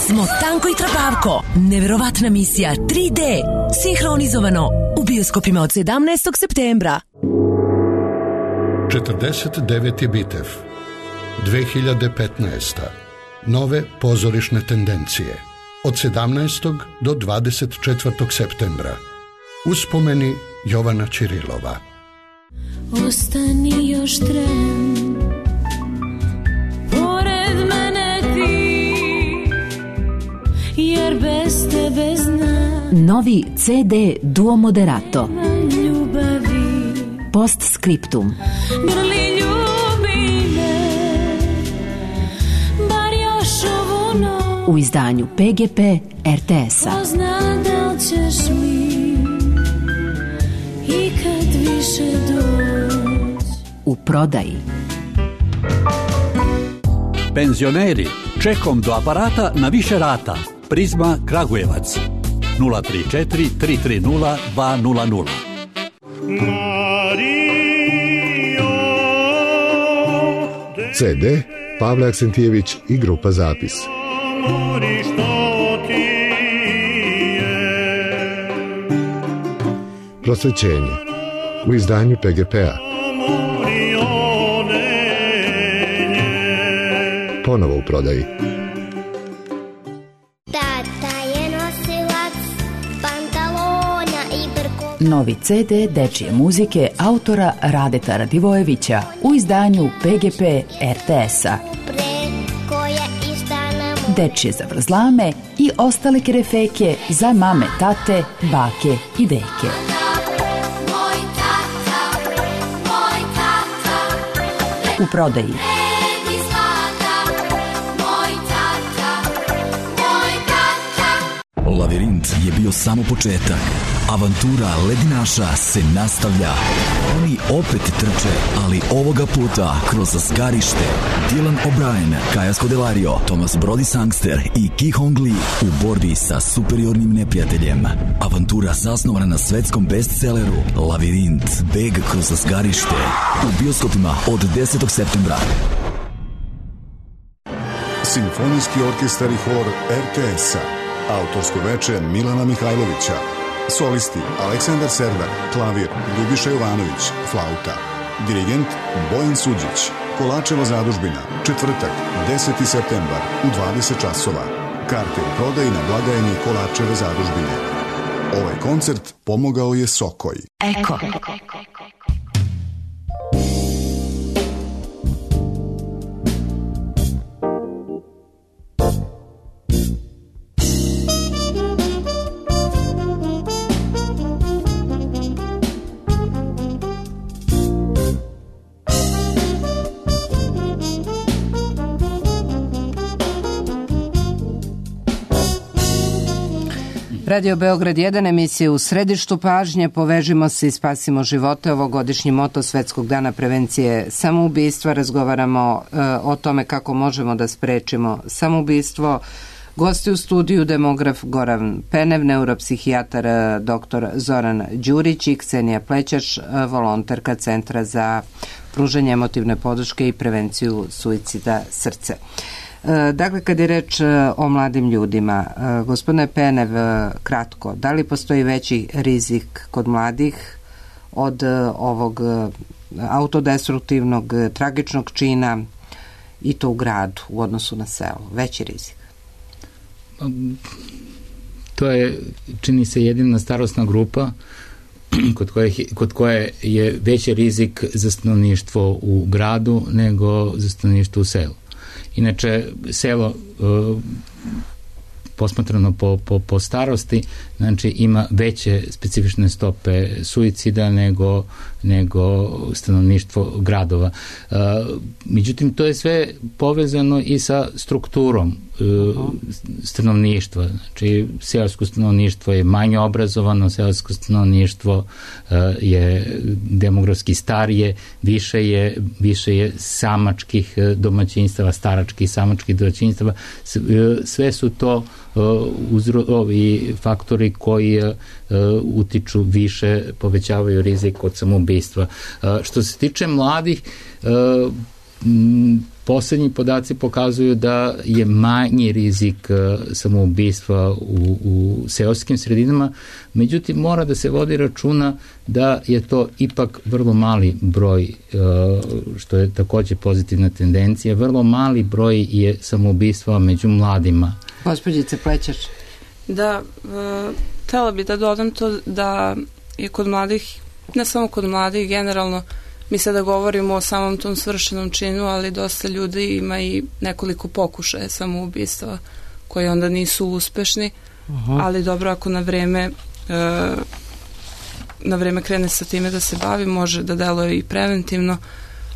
Smotanko i Trapavko. Neverovatna misija 3D. Sinhronizovano u bioskopima od 17. septembra. 49. bitev. 2015. Nove pozorišne tendencije. Od 17. do 24. septembra. Uspomeni Jovana Ćirilova. Ostani još tren, pored mene ti, jer bez tebe znam. Novi CD Duo Moderato. Ljubavi. Postscriptum. Grli ljubi me, bar još ovu noć. U izdanju PGP RTS-a. Pozna da li ćeš mi ikad više doći. U prodaji. Penzioneri, čekom do aparata na više rata. Prizma Kragujevac 034 330 200. CD Pavle Aksentijević i grupa Zapis. Prosvećenje u izdanju PGP-a. Ponovo u prodaji. Tata je nosilac pantalona i brko. Novi CD dečije muzike autora Radeta Radivojevića u izdanju PGP RTS-a. Dečije zavrzlame i ostale kerefeke za mame, tate, bake i deke. U prodaji. Lavirint je bio samo početak. Avantura ledinaša se nastavlja. Oni opet trče, ali ovoga puta kroz zgarište. Dylan O'Brien, Kaja Scodelario, Thomas Brody Sangster i Ki Hong Lee u borbi sa superiornim neprijateljem. Avantura zasnovana na svetskom bestselleru Lavirint, beg kroz zgarište. U bioskopima od 10. septembra. Simfonijski orkestar i hor RTS-a. Autorsko veče Milana Mihajlovića. Solisti Aleksandar Serdar, klavir Ljubiša Jovanović, flauta. Dirigent Bojan Suđić. Kolačeva zadužbina, četvrtak, 10. septembar u 20 časova. Karte u prodaji na blagajni Kolačeve zadužbine. Ovaj koncert pomogao je Sokoj. Eko. Radio Beograd 1, emisije u središtu pažnje, povežimo se i spasimo živote. Ovogodišnji moto Svetskog dana prevencije samoubistva. Razgovaramo o tome kako možemo da sprečimo samoubistvo. Gosti u studiju demograf Goran Penev, neuropsihijatar dr. Zoran Đurić i Ksenija Plećaš, volonterka Centra za pružanje emotivne podrške i prevenciju suicida Srce. Dakle, kad je reč o mladim ljudima, gospodine Penev, kratko, da li postoji veći rizik kod mladih od ovog autodestruktivnog, tragičnog čina i to u gradu u odnosu na selo? Veći rizik? To je, čini se, jedina starosna grupa kod koje je veći rizik za stanovništvo u gradu nego za stanovništvo u selu. Inače, selo posmatrano po starosti, znači ima veće specifične stope suicida nego stanovništvo gradova. Međutim, to je sve povezano i sa strukturom stanovništva. Znači, seosko stanovništvo je manje obrazovano, seosko stanovništvo je demografski starije, više je samačkih domaćinstava, staračkih samačkih domaćinstava. Sve su to ovi faktori koji utiču više, povećavaju rizik od samoubistva. Što se tiče mladih, poslednji podaci pokazuju da je manji rizik samoubistva u seoskim sredinama, međutim mora da se vodi računa da je to ipak vrlo mali broj, što je takođe pozitivna tendencija, vrlo mali broj je samoubistva među mladima. Gospođice Plećaš. Da, htela bi da dodam to da je kod mladih, ne samo kod mladih, generalno, mi sada govorimo o samom tom svršenom činu, ali dosta ljudi ima i nekoliko pokušaja samoubistva koji onda nisu uspešni, ali dobro, ako na vreme krene sa time da se bavi, može da deluje i preventivno,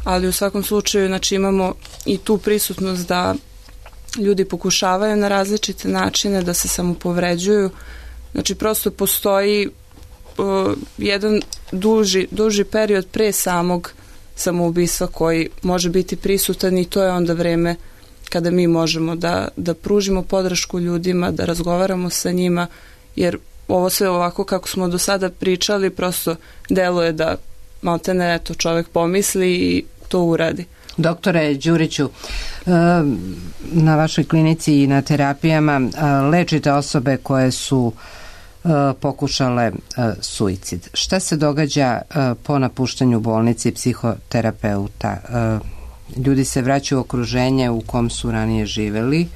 ali u svakom slučaju, znači, imamo i tu prisutnost da ljudi pokušavaju na različite načine da se samopovređuju. Znači, prosto postoji jedan duži period pre samog samoubistva koji može biti prisutan i to je onda vreme kada mi možemo da pružimo podršku ljudima, da razgovaramo sa njima, jer ovo sve ovako kako smo do sada pričali prosto deluje da maltene eto čovek pomisli i to uradi. Doktore Đuriću, na vašoj klinici i na terapijama lečite osobe koje su pokušale suicid. Šta se događa po napuštanju bolnice i psihoterapeuta? Ljudi se vraćaju u okruženje u kom su ranije živeli.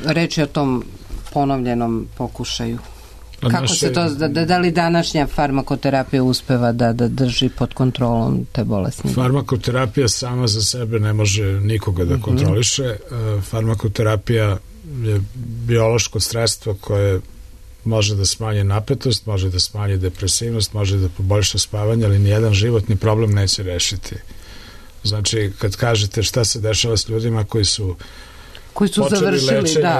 Reč je o tom ponovljenom pokušaju. Kako se to, da li današnja farmakoterapija uspeva da drži pod kontrolom te bolesnike? Farmakoterapija sama za sebe ne može nikoga da kontroliše. Farmakoterapija je biološko sredstvo koje može da smanji napetost, može da smanji depresivnost, može da poboljša spavanje, ali nijedan životni problem neće rešiti. Znači, kad kažete šta se dešava s ljudima koji su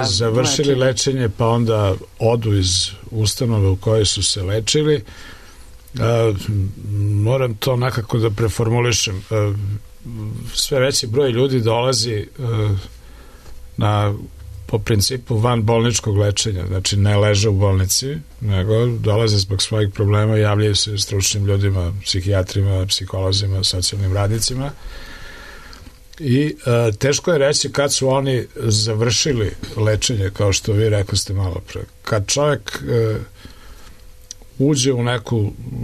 završili lečenje, pa onda odu iz ustanove u kojoj su se lečili, moram to nekako da preformulišem. Sve veći broj ljudi dolazi po principu vanbolničkog lečenja, znači ne leže u bolnici, nego dolaze zbog svojih problema i javljaju se stručnim ljudima, psihijatrima, psiholozima, socijalnim radnicima. I teško je reći kad su oni završili lečenje, kao što vi rekli ste malo pre. Kad čovjek uđe u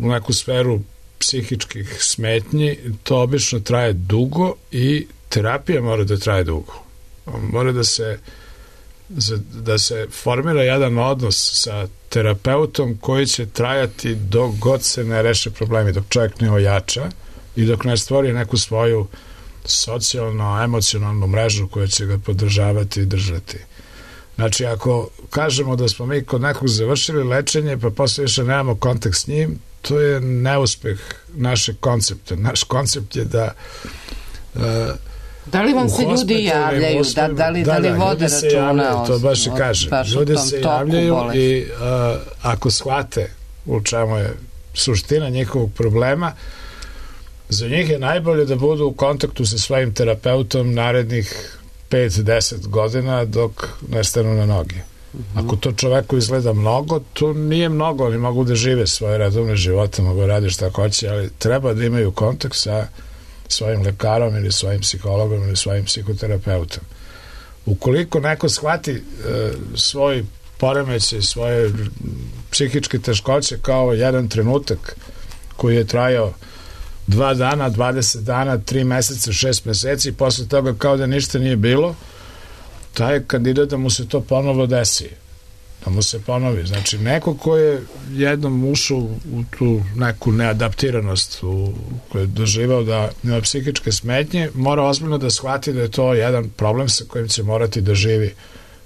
neku sferu psihičkih smetnji, to obično traje dugo i terapija mora da traje dugo. Mora da se formira jedan odnos sa terapeutom koji će trajati dok god se ne reše problemi, dok čovjek ne ojača i dok ne stvori neku svoju socijalno-emocionalnu mrežu koja će ga podržavati i držati. Znači, ako kažemo da smo mi kod nekog završili lečenje, pa posle više nemamo kontakt s njim, to je neuspeh našeg koncepta. Naš koncept je da da li vam se ljudi javljaju, da li vode računa? To baš i kažem. Ljudi se javljaju i ako shvate u čemu je suština njihovog problema, za njih je najbolje da budu u kontaktu sa svojim terapeutom narednih 5-10 godina dok ne stanu na noge. Ako to čoveku izgleda mnogo, to nije mnogo, oni mogu da žive svoje redovne živote, mogu da radi šta hoće, ali treba da imaju kontakt sa svojim lekarom ili svojim psihologom ili svojim psihoterapeutom. Ukoliko neko shvati svoj poremećaj, svoje psihičke teškoće kao jedan trenutak koji je trajao 2 dana, 20 dana, 3 meseca, 6 meseci i posle toga kao da ništa nije bilo, taj kandidat da mu se to ponovo desi, da mu se ponovi. Znači, neko ko je jednom ušao u tu neku neadaptiranost koju je doživao da ima psihičke smetnje, mora ozbiljno da shvati da je to jedan problem sa kojim će morati da živi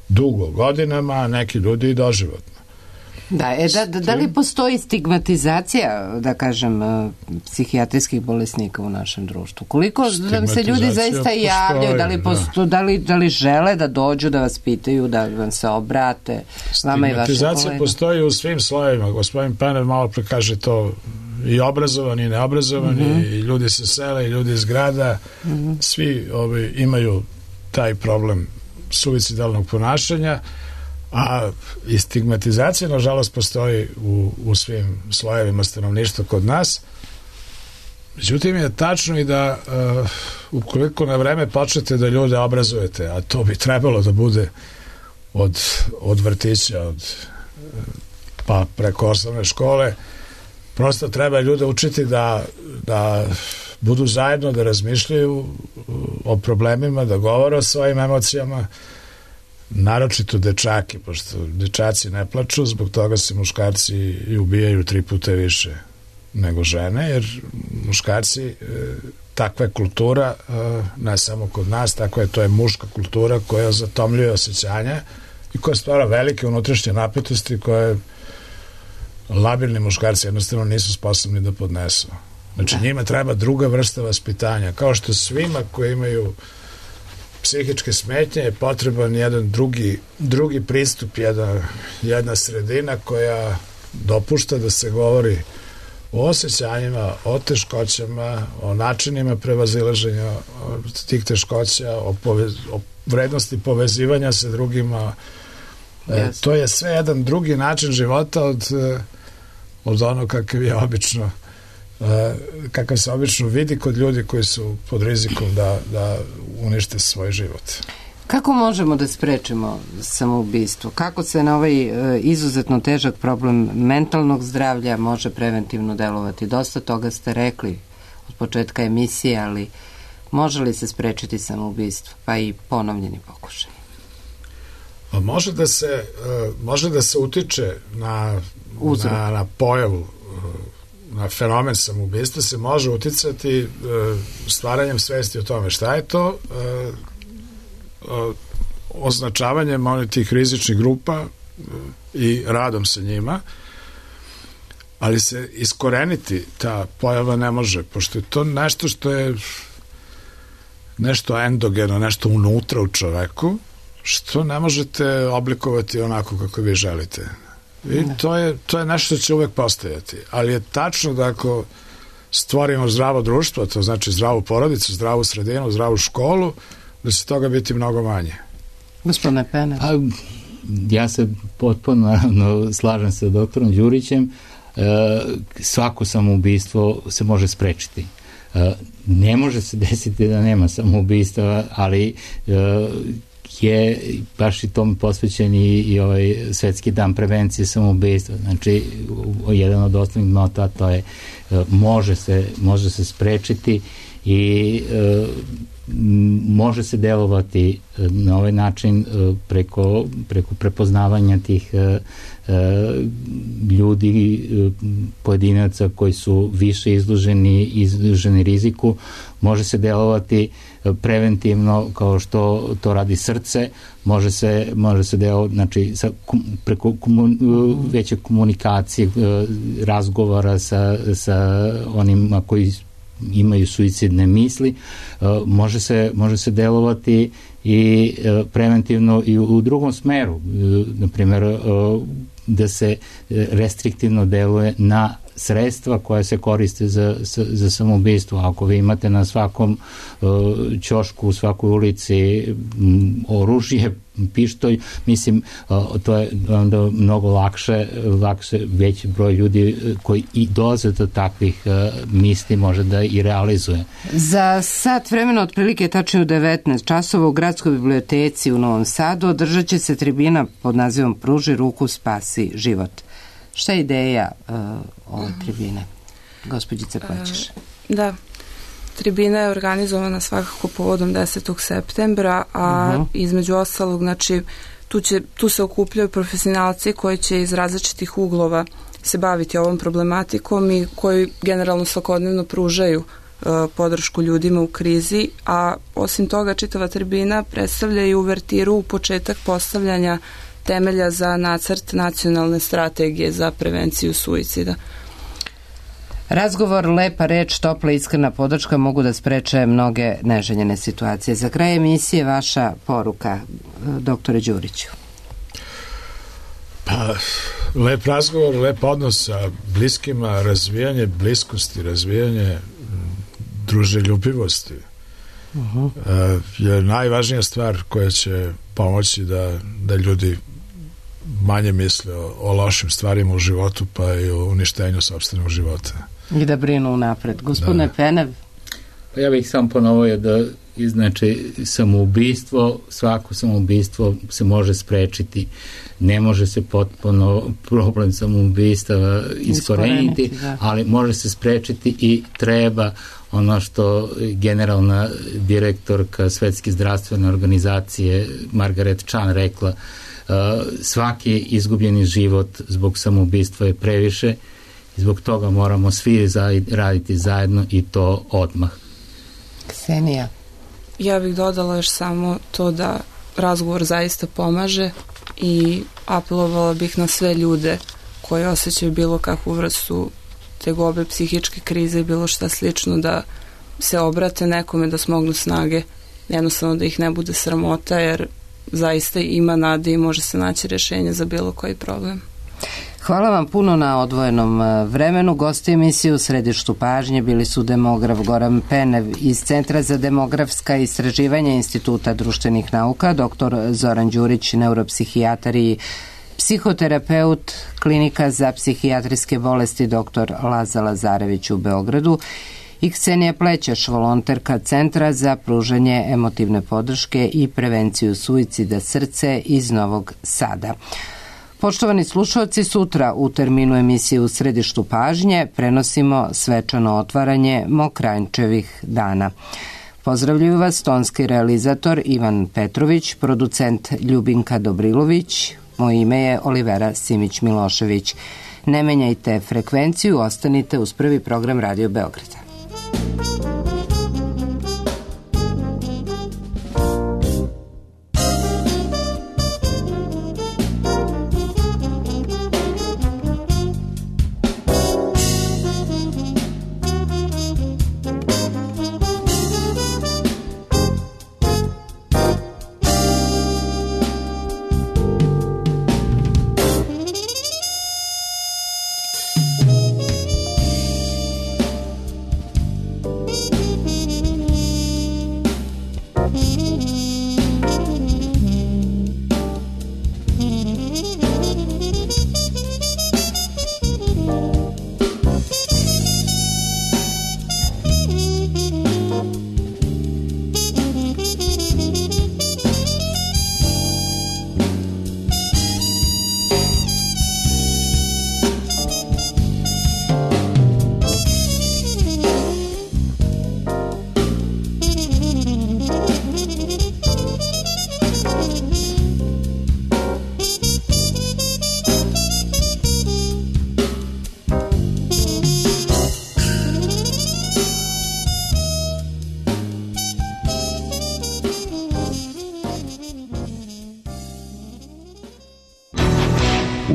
dugo, godinama, a neki ljudi i doživotno. Da li postoji stigmatizacija, da kažem, psihijatrijskih bolesnika u našem društvu? Koliko nam se ljudi zaista javljaju, da li žele da dođu, da vas pitaju, da vam se obrate, vama i vašim kolegama? Stigmatizacija postoji u svim slojevima. Gospodin Penner malo pre kaže to, i obrazovani i neobrazovani, i ljudi sa sela i ljudi iz grada, svi imaju taj problem suicidalnog ponašanja, a i stigmatizacija nažalost postoji u svim slojevima stanovništva kod nas. Međutim je tačno i da ukoliko na vreme počnete da ljude obrazujete, a to bi trebalo da bude od vrtića pa preko osnovne škole, prosto treba ljude učiti da budu zajedno, da razmišljaju o problemima, da govore o svojim emocijama, naročito dečaki, pošto dečaci ne plaču, zbog toga se muškarci i ubijaju 3 puta više nego žene, jer muškarci, takva je kultura, ne samo kod nas, to je muška kultura koja zatomljuje osjećanja i koja stvara velike unutrašnje napetosti koje labilni muškarci jednostavno nisu sposobni da podnesu. Znači njima treba druga vrsta vaspitanja, kao što svima koji imaju psihičke smetnje je potreban jedan drugi pristup, jedna sredina koja dopušta da se govori o osjećanjima, o teškoćama, o načinima prevazilaženja tih teškoća, o vrednosti povezivanja sa drugima. To je sve jedan drugi način života od ono kakav se obično vidi kod ljudi koji su pod rizikom da unište svoj život. Kako možemo da sprečimo samoubistvo? Kako se na ovaj izuzetno težak problem mentalnog zdravlja može preventivno delovati? Dosta toga ste rekli od početka emisije, ali može li se sprečiti samoubistvo, pa i ponovljeni pokušaj? Može da se utiče na pojavu, na fenomen samoubistva se može uticati stvaranjem svesti o tome šta je to, označavanjem tih rizičnih grupa i radom sa njima, ali se iskoreniti ta pojava ne može, pošto je to nešto što je nešto endogeno, nešto unutra u čoveku, što ne možete oblikovati onako kako vi želite. I to je nešto što će uvek postojati. Ali je tačno da ako stvorimo zdravo društvo, to znači zdravu porodicu, zdravu sredinu, zdravu školu, da će toga biti mnogo manje. Gospodine Penner. Ja se potpuno naravno slažem sa doktorom Đurićem. Svako samoubistvo se može sprečiti. Ne može se desiti da nema samoubistva, ali je baš i tom posvećen i ovaj Svetski dan prevencije samoubistva. Znači, jedan od osnovnih nota to je može se sprečiti i može se delovati na ovaj način preko prepoznavanja tih ljudi, pojedinaca koji su više izloženi riziku. Može se delovati preventivno kao što to radi srce, može se delovati, znači preko veće komunikacije, razgovora sa onima koji imaju suicidne misli, može se delovati i preventivno i u drugom smeru, na primjer da se restriktivno deluje na sredstva koja se koriste za samoubistvo. Ako vi imate na svakom ćošku, u svakoj ulici oružje, pištolj, mislim, to je onda mnogo lakše veći broj ljudi koji i dolaze do takvih misli može da i realizuje. Za sat vremena, otprilike tačno u 19 časova u Gradskoj biblioteci u Novom Sadu održat će se tribina pod nazivom Pruži ruku, spasi život. Šta je ideja ove tribine? Gospođice Plećeš. Da, tribina je organizovana svakako povodom 10. septembra, a između ostalog, znači, tu se okupljaju profesionalci koji će iz različitih uglova se baviti ovom problematikom i koji generalno svakodnevno pružaju podršku ljudima u krizi, a osim toga čitava tribina predstavlja i uvertiru u početak postavljanja temelja za nacrt nacionalne strategije za prevenciju suicida. Razgovor, lepa reč, topla iskrena podrška mogu da spreče mnoge neželjene situacije. Za kraj emisije vaša poruka, doktore Đuriću. Pa, lep razgovor, lep odnos sa bliskima, razvijanje bliskosti, razvijanje druželjubivosti je najvažnija stvar koja će pomoći da ljudi manje misle o lošim stvarima u životu, pa i o uništenju sopstvenog života. I da brinu unapred. Gospodine Penev? Pa ja bih sam ponovio da znači svako samoubistvo se može sprečiti. Ne može se potpuno problem samoubistava iskoreniti, ali može se sprečiti i treba ono što generalna direktorka Svetske zdravstvene organizacije Margaret Chan rekla, svaki izgubljeni život zbog samoubistva je previše i zbog toga moramo svi raditi zajedno i to odmah. Ksenija? Ja bih dodala još samo to da razgovor zaista pomaže i apelovala bih na sve ljude koji osjećaju bilo kakvu vrstu tegobe, psihičke krize i bilo šta slično, da se obrate nekome, da smognu snage, jednostavno da ih ne bude sramota, jer zaista ima nade i može se naći rješenje za bilo koji problem. Hvala vam puno na odvojenom vremenu. Gosti emisije u središtu pažnje bili su demograf Goran Penev iz Centra za demografska istraživanja Instituta društvenih nauka, dr. Zoran Đurić, neuropsihijatar i psihoterapeut Klinika za psihijatrijske bolesti dr. Laza Lazarević u Beogradu i Ksenija Plećeš, volonterka Centra za pružanje emotivne podrške i prevenciju suicida Srce iz Novog Sada. Poštovani slušalci, sutra u terminu emisije u središtu pažnje prenosimo svečano otvaranje Mokranjčevih dana. Pozdravljuju vas tonski realizator Ivan Petrović, producent Ljubinka Dobrilović, moje ime je Olivera Simić-Milošević. Ne menjajte frekvenciju, ostanite uz prvi program Radio Beograda.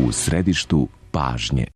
u središtu pažnje.